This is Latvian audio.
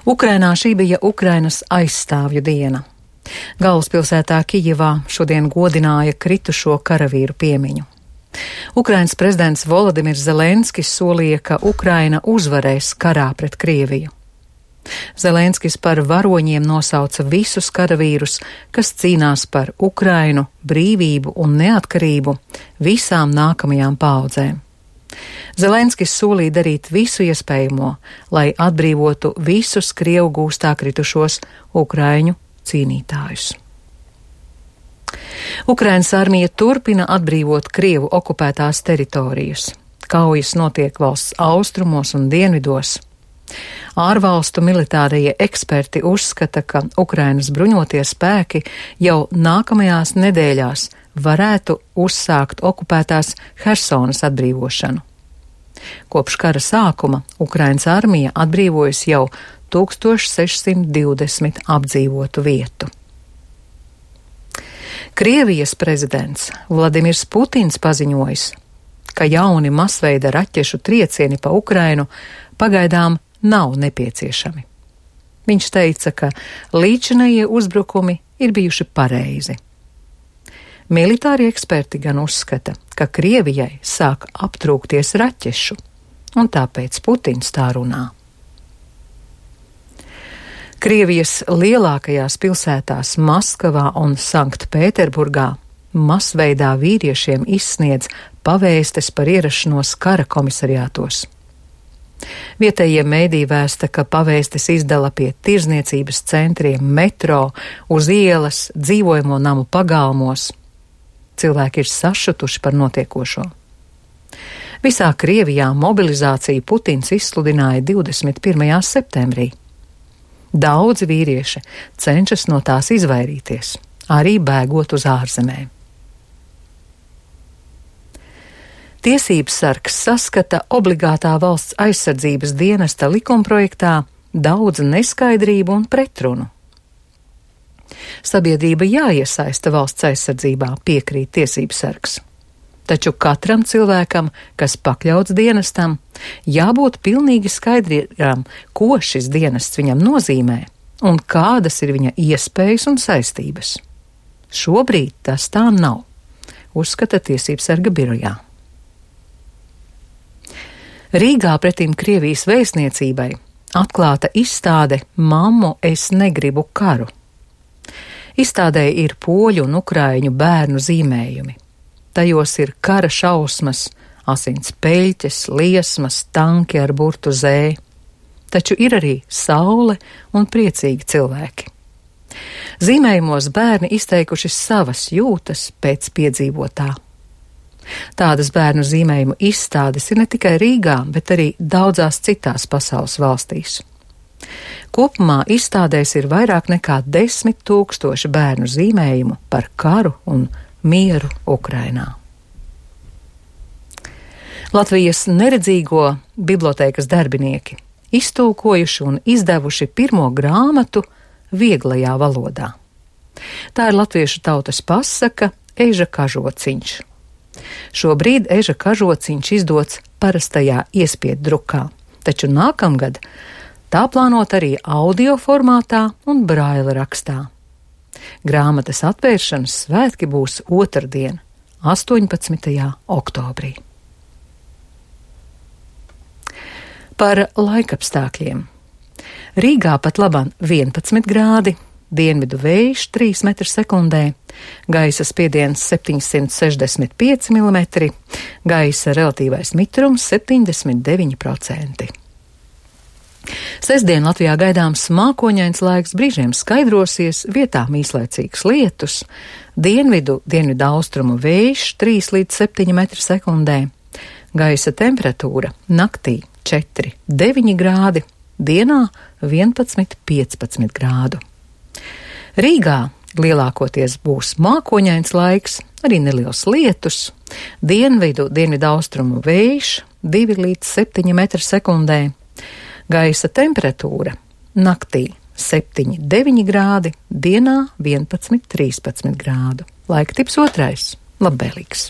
Ukrainā šī bija Ukrainas aizstāvju diena. Galvaspilsētā Kijevā šodien godināja kritušo karavīru piemiņu. Ukrainas prezidents Volodimirs Zelenskis solīja, ka Ukraina uzvarēs karā pret Krieviju. Zelenskis par varoņiem nosauca visus karavīrus, kas cīnās par Ukrainu, brīvību un neatkarību visām nākamajām paaudzēm. Zelenskis solīja darīt visu iespējamo, lai atbrīvotu visus Krievu gūstā kritušos ukraiņu cīnītājus. Ukrainas armija turpina atbrīvot Krievu okupētās teritorijas. Kaujas notiek valsts austrumos un dienvidos. Ārvalstu militārie eksperti uzskata, ka Ukrainas bruņotie spēki jau nākamajās nedēļās varētu uzsākt okupētās Hersonas atbrīvošanu. Kopš kara sākuma Ukrainas armija atbrīvojas jau 1620 apdzīvotu vietu. Krievijas prezidents Vladimirs Putins paziņojis, ka jauni masveida raķešu triecieni pa Ukrainu pagaidām nav nepieciešami. Viņš teica, ka līdzinējie uzbrukumi ir bijuši pareizi. Militāri eksperti gan uzskata, ka Krievijai sāk aptrūkties raķešu, un tāpēc Putins tā runā. Krievijas lielākajās pilsētās Maskavā un Sanktpēterburgā masveidā vīriešiem izsniedz pavēstes par ierašanos kara komisariātos. Vietējie mēdī vēsta, ka pavēstes izdala pie tirzniecības centriem, metro, uz ielas, dzīvojamo namu pagalmos. Cilvēki ir sašutuši par notiekošo. Visā Krievijā mobilizāciju Putins izsludināja 21. septembrī. Daudzi vīrieši cenšas no tās izvairīties, arī bēgot uz ārzemēm. Tiesības sargs saskata obligātā valsts aizsardzības dienesta likumprojektā daudz neskaidrību un pretrunu. Sabiedrība jāiesaista valsts aizsardzībā, piekrīt tiesības sargs. Taču katram cilvēkam, kas pakļauts dienestam, jābūt pilnīgi skaidrām, ko šis dienests viņam nozīmē un kādas ir viņa iespējas un saistības. Šobrīd tas tā nav, uzskata tiesības sarga birojā. Rīgā pretim Krievijas vēstniecībai atklāta izstāde Mammu, es negribu karu. Izstādē ir poļu un ukraiņu bērnu zīmējumi. Tajos ir kara šausmas, asins peļķes, liesmas, tanki ar burtu zē. Taču ir arī saule un priecīgi cilvēki. Zīmējumos bērni izteikuši savas jūtas pēc piedzīvotā. Tādas bērnu zīmējumu izstādes ir ne tikai Rīgā, bet arī daudzās citās pasaules valstīs. Kopumā izstādēs ir vairāk nekā 10 000 bērnu zīmējumu par karu un mieru Ukrainā. Latvijas neredzīgo bibliotēkas darbinieki iztulkojuši un izdevuši pirmo grāmatu vieglajā valodā. Tā ir latviešu tautas pasaka Eža kažociņš. Šobrīd Eža kažociņš izdots parastajā iespieddrukā, taču nākamgad tā plānot arī audio formātā un braila rakstā. Grāmatas atvēršanas svētki būs otrdien, 18. oktobrī. Par laikapstākļiem. Rīgā pat labam 11 grādi, dienvidu vējš 3 m/sekundē, gaisa spiediens 765 mm, gaisa relatīvais mitrums 79%. Sestdien Latvijā gaidāms mākoņains laiks, brīžiem skaidrosies, vietām īslaicīgs lietus, dienvidu austrumu vējš 3 līdz 7 m/sekundē, gaisa temperatūra naktī 4,9 grādi, dienā 11,15 grādu. Rīgā lielākoties būs mākoņains laiks, arī neliels lietus, dienvidu austrumu vējš 2 līdz 7 m/sekundē, gaisa temperatūra naktī 7,9 grādi, dienā 11,13 grādu. Laika tips 2. Labvēlīgs.